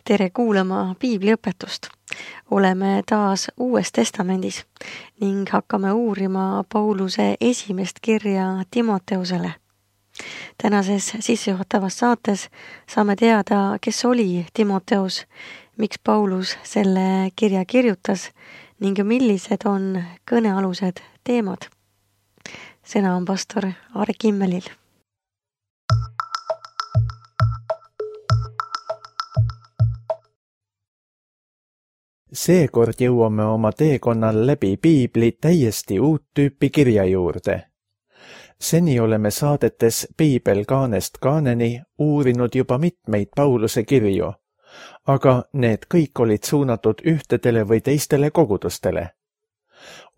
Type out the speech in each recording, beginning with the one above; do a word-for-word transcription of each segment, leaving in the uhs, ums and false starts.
Tere kuulama piibliõpetust. Oleme taas Uues Testamendis ning hakkame uurima Pauluse esimest kirja Timoteusele. Tänases sissejuhatavas saates saame teada, kes oli Timoteus, miks Paulus selle kirja kirjutas ning millised on kõnealused teemad. Sõna on pastor Aare Kimmelil. Seekord jõuame oma teekonnal läbi piibli täiesti uut tüüpi kirja juurde. Seni oleme saadetes Piibel kaanest kaaneni uurinud juba mitmeid Pauluse kirju, aga need kõik olid suunatud ühtedele või teistele kogudustele.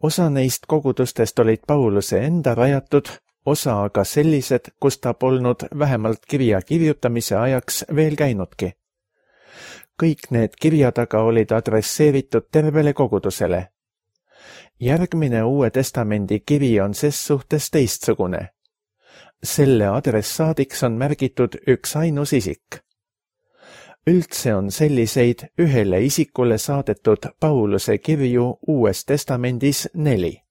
Osa neist kogudustest olid Pauluse enda rajatud, osa aga sellised, kus ta polnud vähemalt kirja kirjutamise ajaks veel käinudki. Kõik need kirjad aga olid adresseeritud tervele kogudusele. Järgmine Uue Testamendi kiri on ses suhtes teistsugune. Selle adressaadiks on märgitud üks ainus isik. Üldse on selliseid ühele isikule saadetud Pauluse kirju Uues Testamendis neli.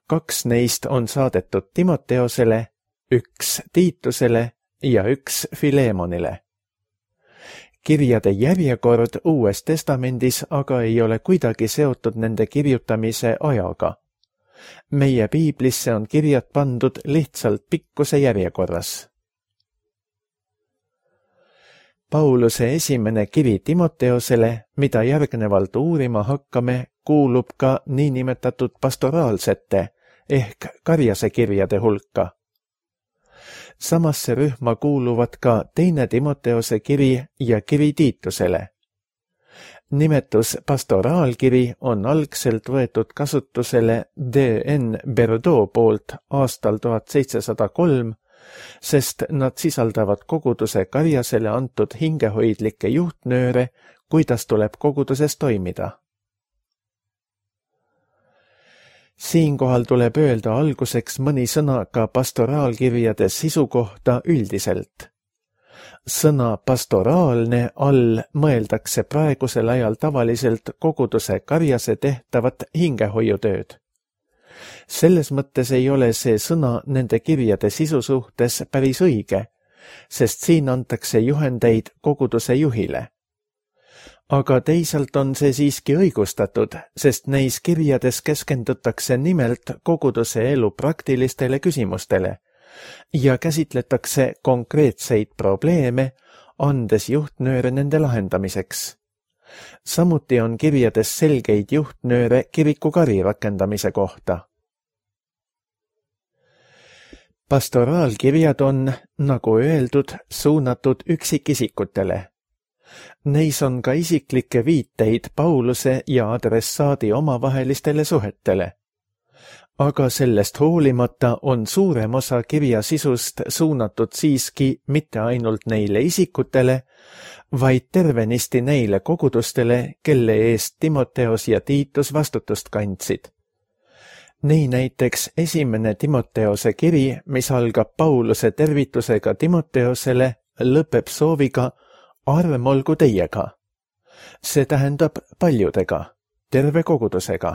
Kaks neist on saadetud Timoteosele, üks Tiitusele ja üks Filemonile. Kirjade järjekord Uues Testamendis aga ei ole kuidagi seotud nende kirjutamise ajaga. Meie piiblisse on kirjad pandud lihtsalt pikkuse järjekorras. Pauluse esimene kiri Timoteosele, mida järgnevalt uurima hakkame, kuulub ka niinimetatud pastoraalsete ehk karjase kirjade hulka. Samasse rühma kuuluvad ka teine Timoteose kiri ja kiri Tiitusele. Nimetus pastoraalkiri on algselt võetud kasutusele D N Berdo poolt aastal tuhat seitsesada kolm, sest nad sisaldavad koguduse karjasele antud hingehoidlikke juhtnööre, kuidas tuleb koguduses toimida. Siinkohal tuleb öelda alguseks mõni sõna ka pastoraalkirjade sisu kohta üldiselt. Sõna pastoraalne all mõeldakse praegusel ajal tavaliselt koguduse karjase tehtavat hingehoiutööd. Selles mõttes ei ole see sõna nende kirjade sisu suhtes päris õige, sest siin antakse juhendeid koguduse juhile. Aga teisalt on see siiski õigustatud, sest neis kirjades keskendutakse nimelt koguduse elu praktilistele küsimustele ja käsitletakse konkreetseid probleeme, andes juhtnööre nende lahendamiseks. Samuti on kirjades selgeid juhtnööre kirikukari rakendamise kohta. Pastoraalkirjad on, nagu öeldud, suunatud üksikisikutele. Neis on ka isiklikke viiteid Pauluse ja adressaadi omavahelistele suhetele. Aga sellest hoolimata on suurem osa kirja sisust suunatud siiski mitte ainult neile isikutele, vaid tervenisti neile kogudustele, kelle eest Timoteos ja Tiitus vastutust kandsid. Nii näiteks esimene Timoteose kiri, mis algab Pauluse tervitusega Timoteosele, lõpeb sooviga arm olgu teiega. See tähendab paljudega, terve kogudusega.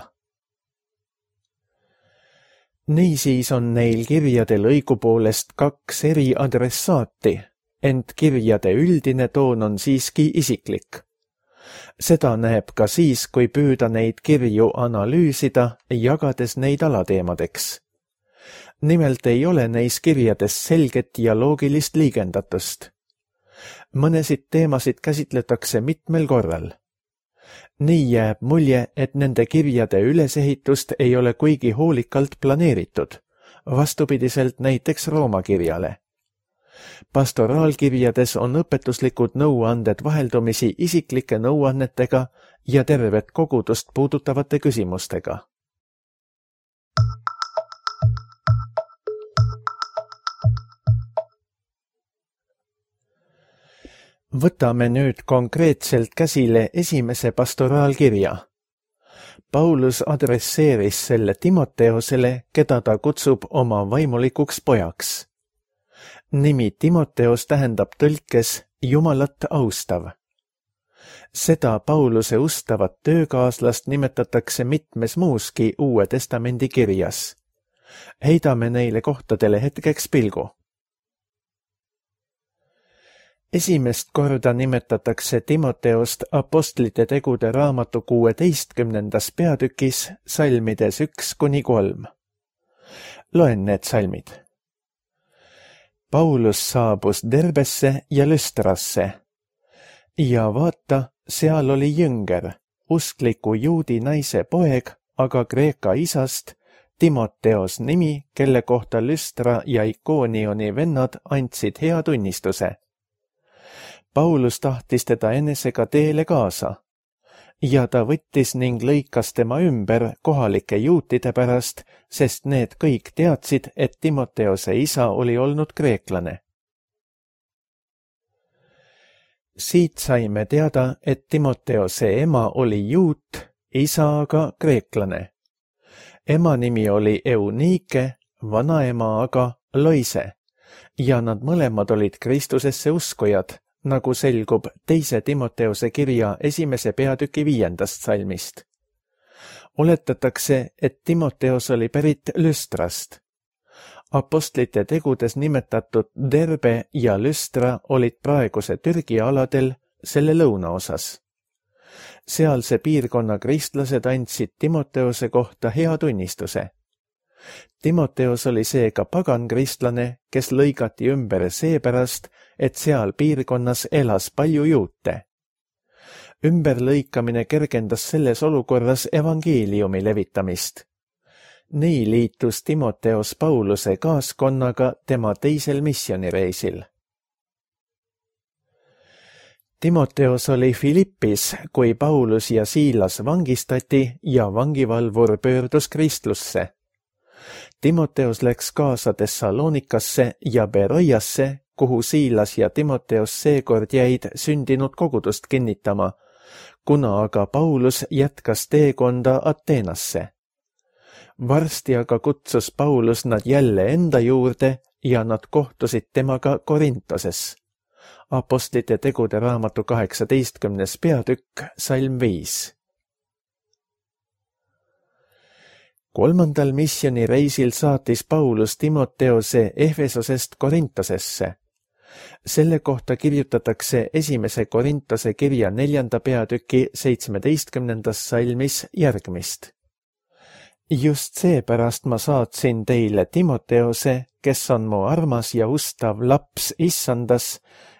Niisiis on neil kirjadel õigupoolest kaks eri adressaati, ent kirjade üldine toon on siiski isiklik. Seda näeb ka siis, kui püüda neid kirju analüüsida, jagades neid alateemadeks. Nimelt ei ole neis kirjades selget ja loogilist liigendatust. Mõnesid teemasid käsitletakse mitmel korral. Nii jääb mulje, et nende kirjade ülesehitust ei ole kuigi hoolikalt planeeritud, vastupidiselt näiteks Rooma kirjale. Pastoraalkirjades on õpetuslikud nõuanded vaheldumisi isiklike nõuannetega ja tervet kogudust puudutavate küsimustega. Võtame nüüd konkreetselt käsile esimese pastoraalkirja. Paulus adresseeris selle Timoteosele, keda ta kutsub oma vaimulikuks pojaks. Nimi Timoteos tähendab tõlkes Jumalat austav. Seda Pauluse ustavat töökaaslast nimetatakse mitmes muuski Uue Testamendi kirjas. Heidame neile kohtadele hetkeks pilgu. Esimest korda nimetatakse Timoteost Apostlite tegude raamatu kuueteistkümnendas peatükis salmides üks kuni kolm. Loen need salmid. Paulus saabus Derbesse ja Lüstrasse. Ja vaata, seal oli jünger, uskliku juudi naise poeg, aga Kreeka isast, Timoteos nimi, kelle kohta Lüstra ja Ikoonioni vennad andsid hea tunnistuse. Paulus tahtis teda enesega teele kaasa ja ta võttis ning lõikas tema ümber kohalike juutide pärast, sest need kõik teadsid, et Timoteose isa oli olnud kreeklane. Siit saime teada, et Timoteose ema oli juut, isa aga kreeklane. Ema nimi oli Eunike, vanaema aga Loise ja nad mõlemad olid Kristusesse uskujad, nagu selgub teise Timoteose kirja esimese peatüki viiendast salmist. Oletatakse, et Timoteos oli pärit Lüstrast. Apostlite tegudes nimetatud Derbe ja Lüstra olid praeguse Türgi aladel selle lõunaosas. Sealse piirkonna kristlased andsid Timoteose kohta hea tunnistuse. Timoteos oli seega pagan kristlane, kes lõigati ümber seepärast, et seal piirkonnas elas palju juute. Ümberlõikamine kergendas selles olukorras evangeeliumi levitamist. Nii liitus Timoteos Pauluse kaaskonnaga tema teisel missioonireisil. Timoteos oli Filippis, kui Paulus ja Siilas vangistati ja vangivalvur pöördus kristlusse. Timoteos läks kaasa Thessalonikasse ja Beroiasse, kuhu Siilas ja Timoteos seekord jäid sündinud kogudust kinnitama, kuna aga Paulus jätkas teekonda Ateenasse. Varsti aga kutsus Paulus nad jälle enda juurde ja nad kohtusid temaga Korintoses. Apostlite tegude raamatu kaheksateistkümnes peatükk, salm viis. Kolmandal missioonireisil saatis Paulus Timoteose Efesosest Korintosesse. Selle kohta kirjutatakse esimese Korintose kirja neljanda peatüki seitsmeteistkümnendas salmis järgmist. Just seepärast ma saatsin teile Timoteose, kes on mu armas ja ustav laps issandas,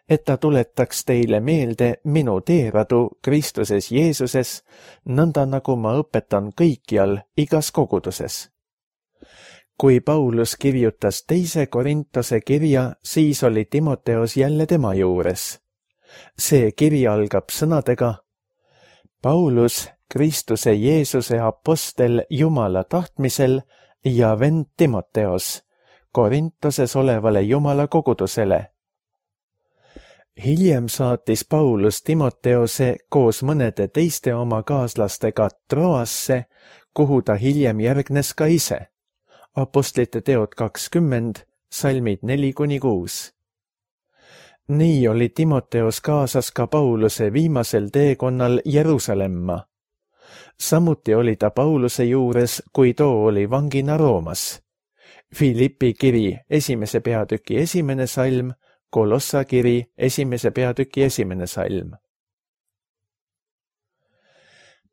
et ta tuletaks teile meelde minu teeradu Kristuses Jeesuses, nõnda nagu ma õpetan kõikjal igas koguduses. Kui Paulus kirjutas teise Korintose kirja, siis oli Timoteos jälle tema juures. See kiri algab sõnadega: Paulus, Kristuse Jeesuse apostel Jumala tahtmisel ja vend Timoteos, Korintoses olevale Jumala kogudusele. Hiljem saatis Paulus Timoteose koos mõnede teiste oma kaaslastega Troasse, kuhu ta hiljem järgnes ka ise. Apostlite teod kakskümmend, salmid neli kuni kuus. Nii oli Timoteos kaasas ka Pauluse viimasel teekonnal Jeruusalemma. Samuti oli ta Pauluse juures, kui too oli vangina Roomas. Filippi kiri esimese peatüki esimene salm, Kolossa kiri esimese peatüki esimene salm.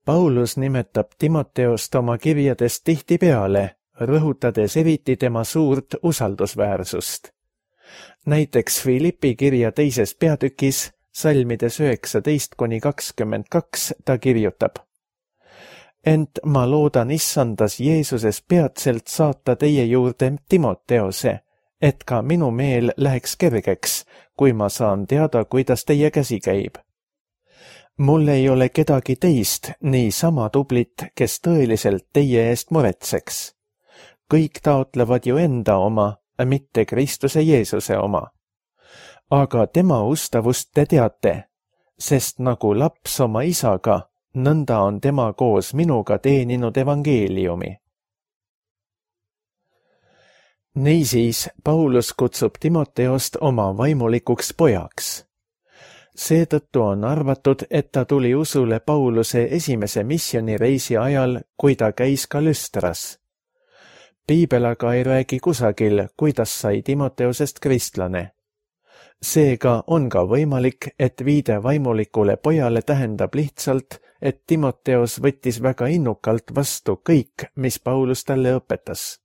Paulus nimetab Timoteost oma kirjades tihtipeale, rõhutades eriti tema suurt usaldusväärsust. Näiteks Filippi kirja teises peatükis, salmides üheksateist kuni kakskümmend kaks, ta kirjutab: Ent ma loodan issandas Jeesuses peatselt saata teie juurde Timoteose, et ka minu meel läheks kergeks, kui ma saan teada, kuidas teie käsi käib. Mul ei ole kedagi teist nii sama tublit, kes tõeliselt teie eest muretseks. Kõik taotlevad ju enda oma, mitte Kristuse Jeesuse oma. Aga tema ustavust te teate, sest nagu laps oma isaga, nõnda on tema koos minuga teeninud evangeeliumi. Niisiis Paulus kutsub Timoteost oma vaimulikuks pojaks. Seetõttu on arvatud, et ta tuli usule Pauluse esimese missioonireisi ajal, kui ta käis ka Lüstras. Piibel aga ei räägi kusagil, kuidas sai Timoteosest kristlane. Seega on ka võimalik, et viide vaimulikule pojale tähendab lihtsalt, et Timoteos võttis väga innukalt vastu kõik, mis Paulus talle õpetas.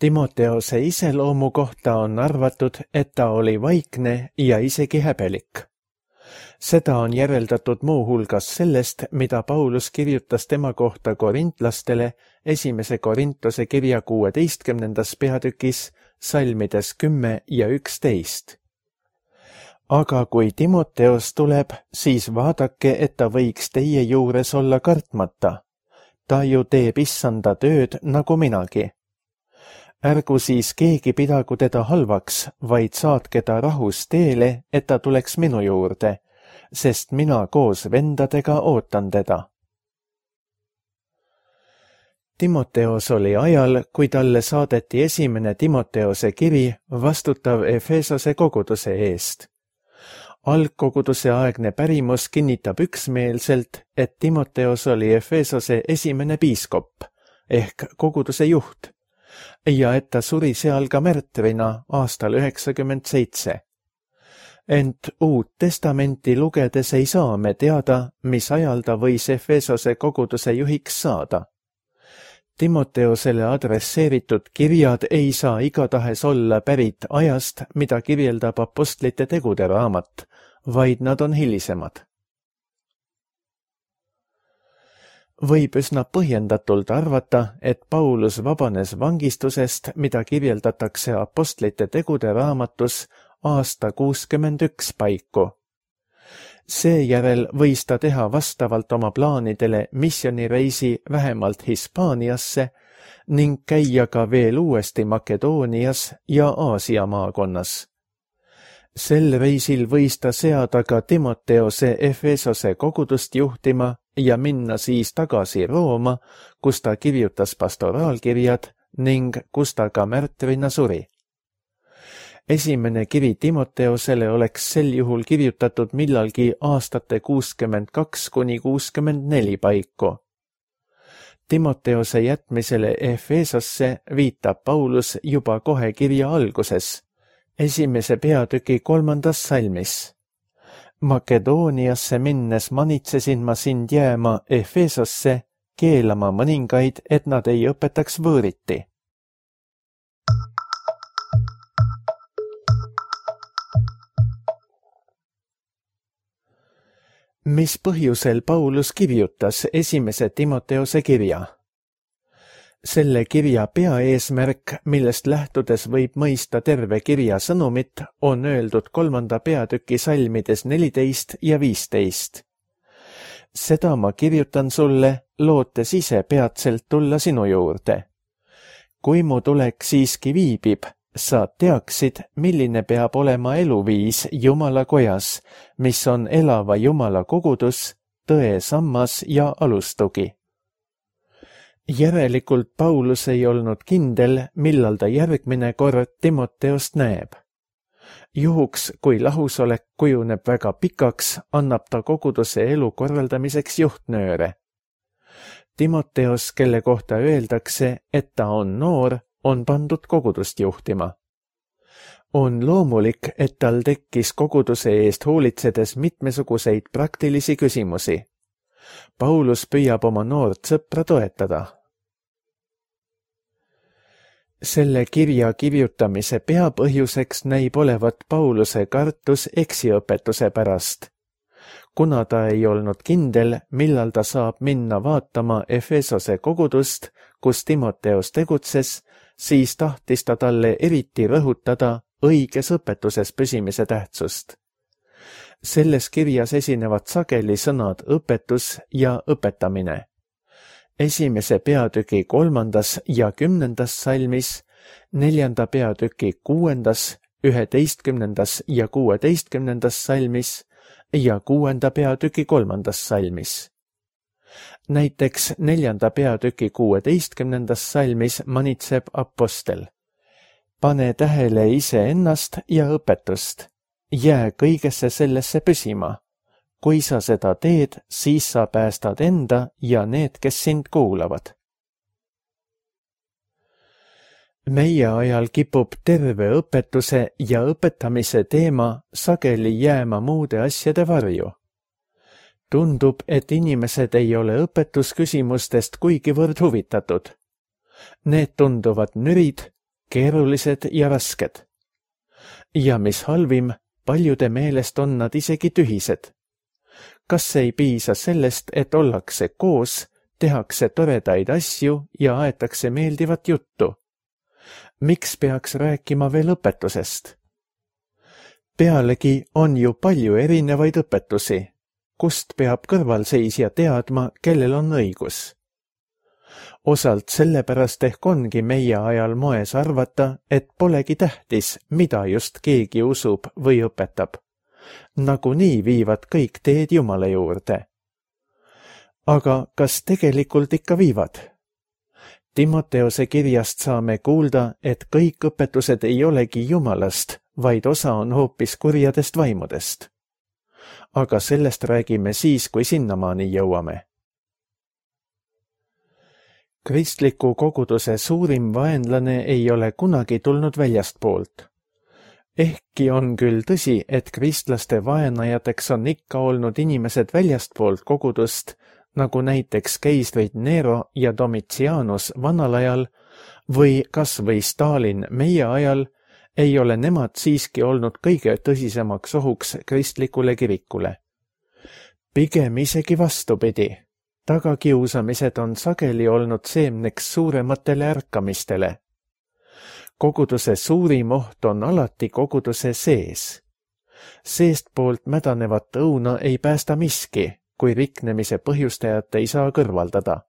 Timoteose iseloomu kohta on arvatud, et ta oli vaikne ja isegi häbelik. Seda on järeldatud muu hulgas sellest, mida Paulus kirjutas tema kohta korintlastele esimese Korintuse kirja kuueteistkümnendas peatükis salmides kümme ja üksteist. Aga kui Timoteos tuleb, siis vaadake, et ta võiks teie juures olla kartmata. Ta ju teeb issanda tööd nagu minagi. Ärgu siis keegi pidagu teda halvaks, vaid saatke ta rahus teele, et ta tuleks minu juurde, sest mina koos vendadega ootan teda. Timoteos oli ajal, kui talle saadeti esimene Timoteose kiri, vastutav Efesose koguduse eest. Algkoguduse aegne pärimus kinnitab üksmeelselt, et Timoteos oli Efesose esimene piiskop ehk koguduse juht ja et ta suri seal ka märtrina aastal üheksakümmend seitse. Ent Uut Testamenti lugedes ei saa me teada, mis ajal ta võis Efesose koguduse juhiks saada. Timoteosele adresseeritud kirjad ei saa igatahes olla pärit ajast, mida kirjeldab apostlite tegude raamat, vaid nad on hilisemad. Võib üsna põhjendatult arvata, et Paulus vabanes vangistusest, mida kirjeldatakse apostlite tegude raamatus aasta kuuskümmend üks paiku. Seejärel võis ta teha vastavalt oma plaanidele missioonireisi vähemalt Hispaaniasse ning käia ka veel uuesti Makedoonias ja Aasia maakonnas. Sel reisil võis ta seada ka Timoteose Efesose kogudust juhtima ja minna siis tagasi Rooma, kus ta kirjutas pastoraalkirjad ning kus ta ka märtrina suri. Esimene kiri Timoteosele oleks sel juhul kirjutatud millalgi aastate kuuskümmend kaks kuni kuuskümmend neli paiku. Timoteose jätmisele Efesosse viitab Paulus juba kohe kirja alguses, esimese peatüki kolmandas salmis. Makedooniasse minnes manitsesin ma sind jääma Efesosse, keelama mõningaid, et nad ei õpetaks võõriti. Mis põhjusel Paulus kirjutas esimese Timoteose kirja? Selle kirja peaeesmärk, millest lähtudes võib mõista terve kirja sõnumit, on öeldud kolmanda peatüki salmides neliteist ja viisteist. Seda ma kirjutan sulle, lootes ise peatselt tulla sinu juurde. Kui mu tulek siiski viibib, sa teaksid, milline peab olema eluviis Jumala kojas, mis on elava Jumala kogudus, tõe sammas ja alustugi. Järelikult Paulus ei olnud kindel, millal ta järgmine kord Timoteost näeb. Juhuks, kui lahusolek kujuneb väga pikaks, annab ta koguduse elu korraldamiseks juhtnööre. Timoteos, kelle kohta öeldakse, et ta on noor, on pandud kogudust juhtima. On loomulik, et tal tekkis koguduse eest hoolitsedes mitmesuguseid praktilisi küsimusi. Paulus püüab oma noort sõpra toetada. Selle kirja kirjutamise peapõhjuseks näib olevat Pauluse kartus eksiõpetuse pärast. Kuna ta ei olnud kindel, millal ta saab minna vaatama Efesose kogudust, kus Timoteos tegutses, siis tahtis ta talle eriti rõhutada õiges õpetuses püsimise tähtsust. Selles kirjas esinevad sageli sõnad õpetus ja õpetamine. Esimese peatüki kolmandas ja kümnendas salmis, neljanda peatüki kuuendas, üheteistkümnendas ja kuueteistkümnendas salmis ja kuuenda peatüki kolmandas salmis. Näiteks neljanda peatüki kuueteistkümnendas salmis manitseb apostel. Pane tähele iseennast ja õpetust. Jää kõigesse sellesse püsima. Kui sa seda teed, siis sa päästad enda ja need, kes sind kuulavad. Meie ajal kipub terve õpetuse ja õpetamise teema sageli jääma muude asjade varju. Tundub, et inimesed ei ole õpetusküsimustest kuigivõrd huvitatud. Need tunduvad nürid, keerulised ja rasked. Ja mis halvim, paljude meelest on nad isegi tühised. Kas ei piisa sellest, et ollakse koos, tehakse toredaid asju ja aetakse meeldivat juttu? Miks peaks rääkima veel õpetusest? Pealegi on ju palju erinevaid õpetusi, kust peab kõrvalseisja teadma, kellel on õigus. Osalt sellepärast ehk ongi meie ajal moes arvata, et polegi tähtis, mida just keegi usub või õpetab. Nagunii viivad kõik teed Jumala juurde. Aga kas tegelikult ikka viivad? Timoteose kirjast saame kuulda, et kõik õpetused ei olegi Jumalast, vaid osa on hoopis kurjadest vaimudest. Aga sellest räägime siis, kui sinnamaani jõuame. Kristliku koguduse suurim vaenlane ei ole kunagi tulnud väljastpoolt. Ehkki on küll tõsi, et kristlaste vaenajateks on ikka olnud inimesed väljastpoolt kogudust, nagu näiteks keisrid Nero ja Domitianus vanal ajal või kas või Stalin meie ajal, ei ole nemad siiski olnud kõige tõsisemaks ohuks kristlikule kirikule. Pigem isegi vastupidi. Tagakiusamised on sageli olnud seemneks suurematele ärkamistele. Koguduse suurim oht on alati koguduse sees. Seestpoolt mädanevat õuna ei päästa miski, kui riknemise põhjustajat ei saa kõrvaldada.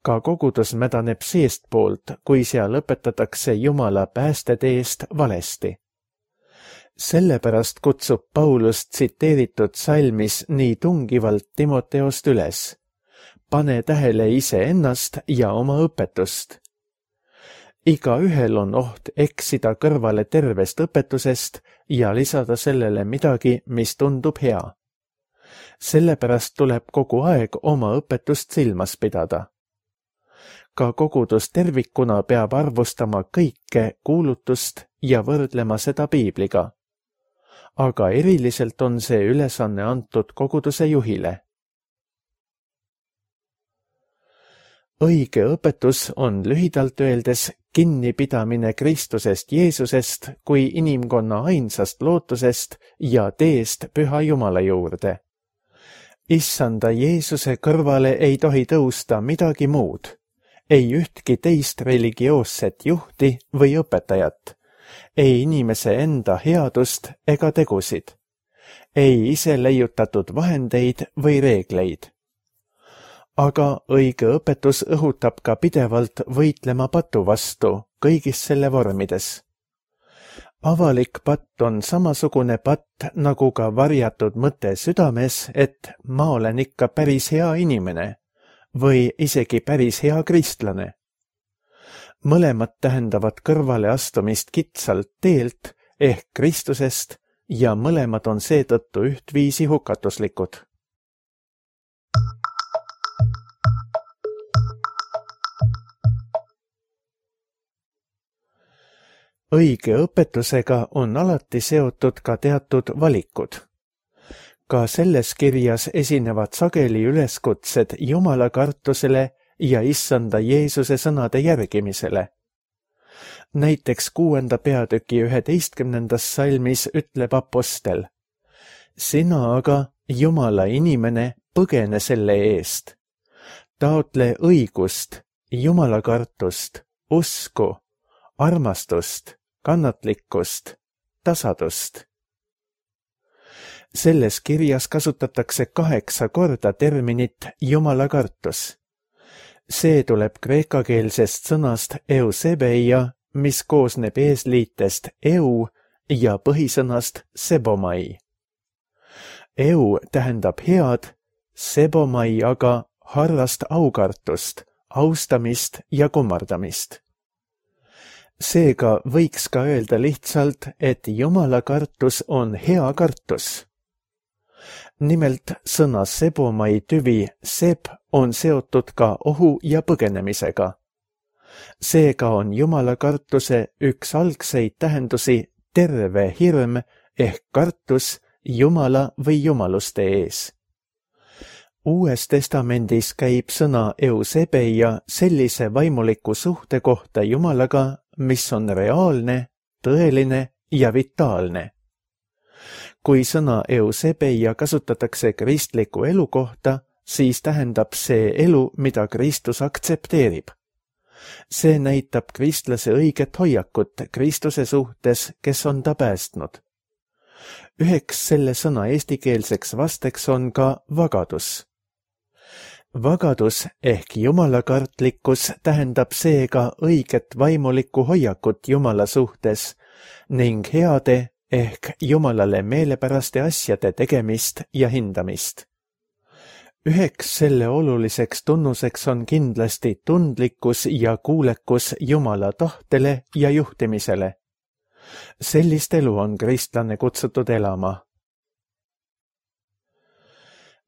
Ka kogudus mädaneb seestpoolt, kui seal õpetatakse Jumala päästeteest valesti. Sellepärast kutsub Paulus tsiteeritud salmis nii tungivalt Timoteost üles. Pane tähele iseennast ja oma õpetust. Igaühel on oht eksida kõrvale tervest õpetusest ja lisada sellele midagi, mis tundub hea. Sellepärast tuleb kogu aeg oma õpetust silmas pidada. Ka kogudus tervikuna peab arvustama kõike kuulutust ja võrdlema seda piibliga. Aga eriliselt on see ülesanne antud koguduse juhile. Õige õpetus on lühidalt öeldes kinnipidamine Kristusest Jeesusest kui inimkonna ainsast lootusest ja teest Püha Jumala juurde. Issanda Jeesuse kõrvale ei tohi tõusta midagi muud, ei ühtki teist religioosset juhti või õpetajat, ei inimese enda headust ega tegusid, ei ise leiutatud vahendeid või reegleid. Aga õige õpetus õhutab ka pidevalt võitlema patu vastu kõigis selle vormides. Avalik patt on samasugune patt nagu ka varjatud mõte südames, et ma olen ikka päris hea inimene või isegi päris hea kristlane. Mõlemad tähendavad kõrvale astumist kitsalt teelt ehk Kristusest ja mõlemad on seetõttu ühtviisi hukatuslikud. Õige õpetusega on alati seotud ka teatud valikud. Ka selles kirjas esinevad sageli üleskutsed Jumala kartusele ja Issanda Jeesuse sõnade järgimisele. Näiteks kuuenda peatüki üheteistkümnendas salmis ütleb apostel: Sina aga, Jumala inimene, põgene selle eest. Taotle õigust, Jumala kartust, usku, armastust, kannatlikkust, tasadust. Selles kirjas kasutatakse kaheksa korda terminit Jumala kartus. See tuleb kreekakeelsest sõnast eusebeia, mis koosneb eesliitest eu ja põhisõnast sebomai. Eu tähendab head, sebomai aga harrast aukartust, austamist ja kummardamist. Seega võiks ka öelda lihtsalt, et Jumala kartus on hea kartus. Nimelt sõna sebomai tüvi seb on seotud ka ohu ja põgenemisega. Seega on Jumala kartuse üks algseid tähendusi terve hirm ehk kartus Jumala või jumaluste ees. Uues testamendis käib sõna eusebeia sellise vaimuliku suhte kohta Jumalaga, mis on reaalne, tõeline ja vitaalne. Kui sõna eusebeia kasutatakse kristliku elu kohta, siis tähendab see elu, mida Kristus aktsepteerib. See näitab kristlase õiget hoiakut Kristuse suhtes, kes on ta päästnud. Üheks selle sõna eestikeelseks vasteks on ka vagadus. Vagadus ehk jumalakartlikkus tähendab seega õiget vaimulikku hoiakut Jumala suhtes ning heade ehk Jumalale meelepäraste asjade tegemist ja hindamist. Üheks selle oluliseks tunnuseks on kindlasti tundlikkus ja kuulekus Jumala tahtele ja juhtimisele. Sellist elu on kristlane kutsutud elama.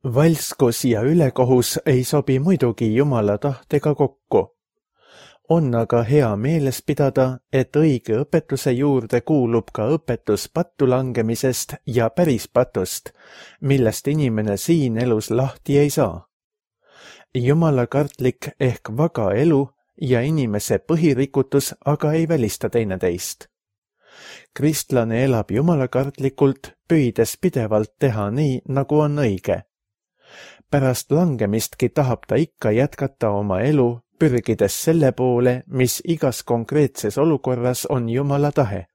Valskus ja ülekohus ei sobi muidugi Jumala tahtega kokku. On aga hea meeles pidada, et õige õpetuse juurde kuulub ka õpetus pattu langemisest ja päris patust, millest inimene siin elus lahti ei saa. Jumala kartlik ehk vaga elu ja inimese põhirikutus aga ei välista teineteist. Kristlane elab jumalakartlikult, püüdes pidevalt teha nii, nagu on õige. Pärast langemistki tahab ta ikka jätkata oma elu, pürgides selle poole, mis igas konkreetses olukorras on Jumala tahe.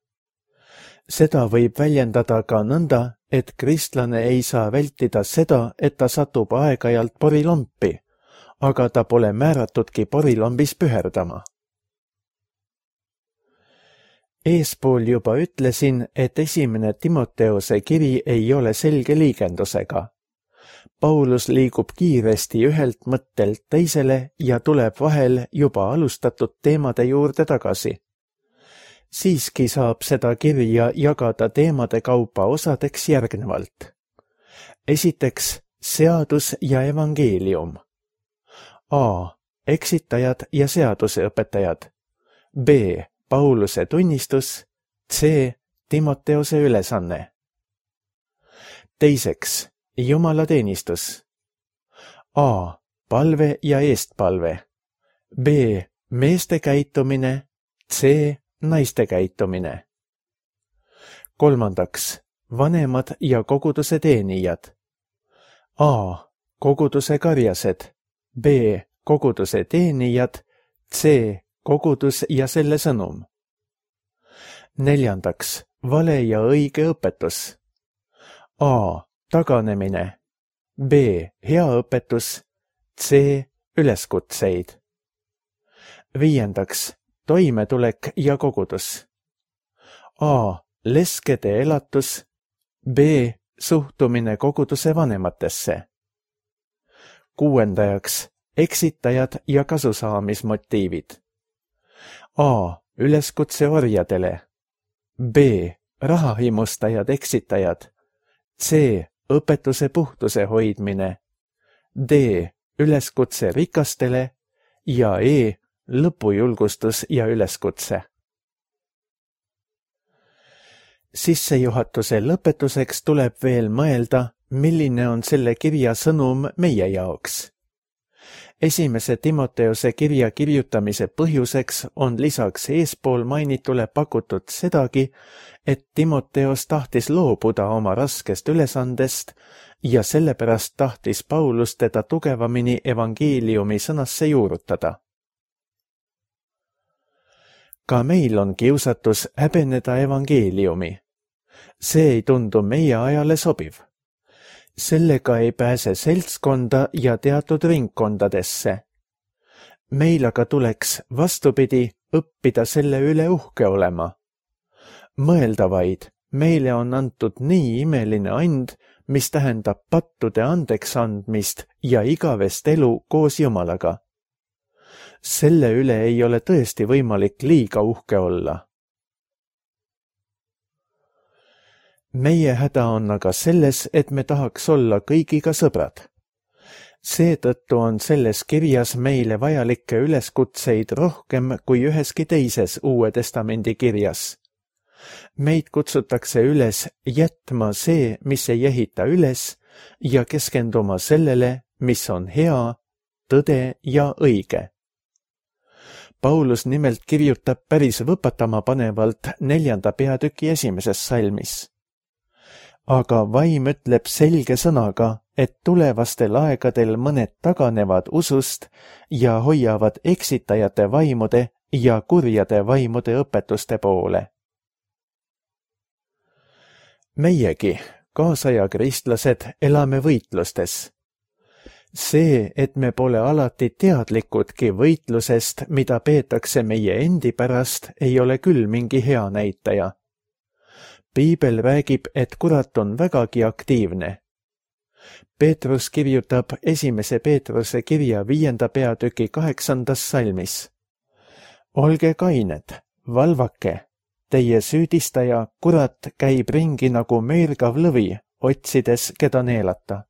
Seda võib väljendada ka nõnda, et kristlane ei saa vältida seda, et ta satub aeg-ajalt porilompi, aga ta pole määratudki porilombis püherdama. Eespool juba ütlesin, et esimene Timoteose kiri ei ole selge liigendusega. Paulus liigub kiiresti ühelt mõttelt teisele ja tuleb vahel juba alustatud teemade juurde tagasi. Siiski saab seda kirja jagada teemade kaupa osadeks järgnevalt. Esiteks, seadus ja evangeelium. A. Eksitajad ja seaduseõpetajad. B. Pauluse tunnistus. C. Timoteose ülesanne. Teiseks, Jumala teenistus. A. Palve ja eestpalve. B. Meeste käitumine. C. Naiste käitumine. Kolmandaks, vanemad ja koguduse teenijad. A. Koguduse karjased. B. Koguduse teenijad. C. Kogudus ja selle sõnum. Neljandaks, vale ja õige õpetus. A. Taganemine. B. Hea õpetus. C. Üleskutseid. Viiendaks, toimetulek ja kogudus. A. Leskede elatus. B. Suhtumine koguduse vanematesse. Kuuendajaks, eksitajad ja kasusaamismotiivid. A. Üleskutse orjadele. B. Rahahimustajad eksitajad. C. Õpetuse puhtuse hoidmine. D. Üleskutse rikastele ja E. Lõpujulgustus ja üleskutse. Sissejuhatuse lõpetuseks tuleb veel mõelda, milline on selle kirja sõnum meie jaoks. Esimese Timoteose kirja kirjutamise põhjuseks on lisaks eespool mainitule pakutud sedagi, et Timoteos tahtis loobuda oma raskest ülesandest ja sellepärast tahtis Paulus teda tugevamini evangeeliumi sõnasse juurutada. Ka meil on kiusatus häbeneda evangeeliumi. See ei tundu meie ajale sobiv. Sellega ei pääse seltskonda ja teatud ringkondadesse. Meil aga tuleks vastupidi õppida selle üle uhke olema. Mõelda vaid, meile on antud nii imeline and, mis tähendab pattude andeks andmist ja igavest elu koos Jumalaga. Selle üle ei ole tõesti võimalik liiga uhke olla. Meie häda on aga selles, et me tahaks olla kõigiga sõbrad. Seetõttu on selles kirjas meile vajalikke üleskutseid rohkem kui üheski teises Uue Testamendi kirjas. Meid kutsutakse üles jätma see, mis ei ehita üles, ja keskenduma sellele, mis on hea, tõde ja õige. Paulus nimelt kirjutab päris võpatama panevalt neljanda peatüki esimeses salmis. Aga vaim ütleb selge sõnaga, et tulevastel aegadel mõned taganevad usust ja hoiavad eksitajate vaimude ja kurjade vaimude õpetuste poole. Meiegi, kaasaja kristlased, elame võitlustes. See, et me pole alati teadlikudki võitlusest, mida peetakse meie endi pärast, ei ole küll mingi hea näitaja. Piibel räägib, et kurat on vägagi aktiivne. Peetrus kirjutab esimese Peetruse kirja viienda peatüki kaheksandas salmis. Olge kained, valvake. Teie süüdistaja, kurat, käib ringi nagu meelgav lõvi, otsides, keda neelata.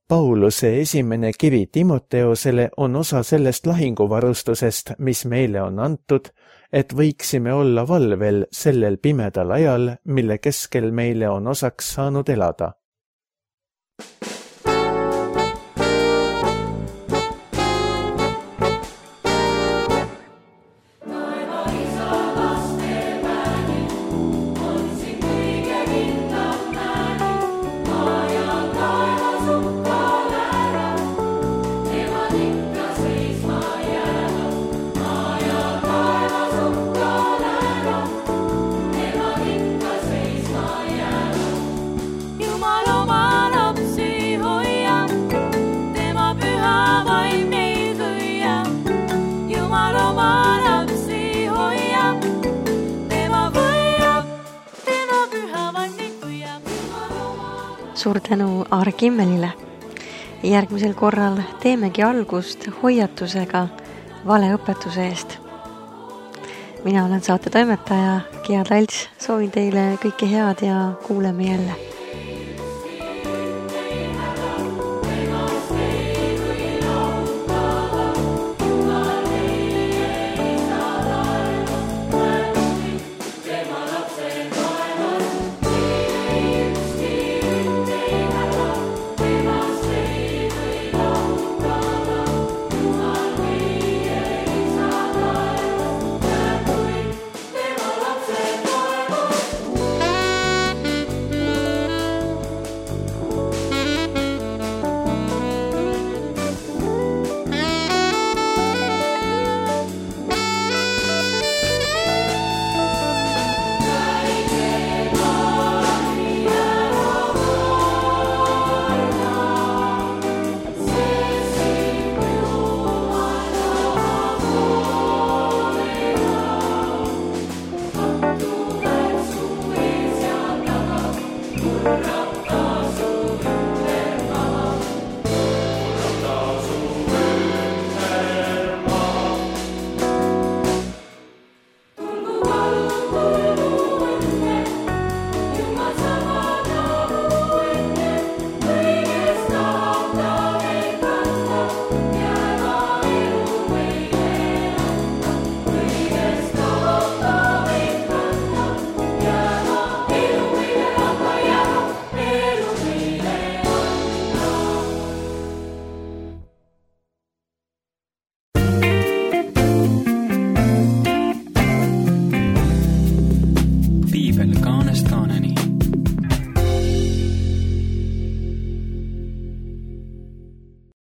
Pauluse esimene kiri Timoteosele on osa sellest lahinguvarustusest, mis meile on antud, et võiksime olla valvel sellel pimedal ajal, mille keskel meile on osaks saanud elada. Suur tänu Aar Kimmelile. Järgmisel korral teemegi algust hoiatusega valeõpetuse eest. Mina olen saate toimetaja Gea Talts, soovin teile kõike head ja kuuleme jälle.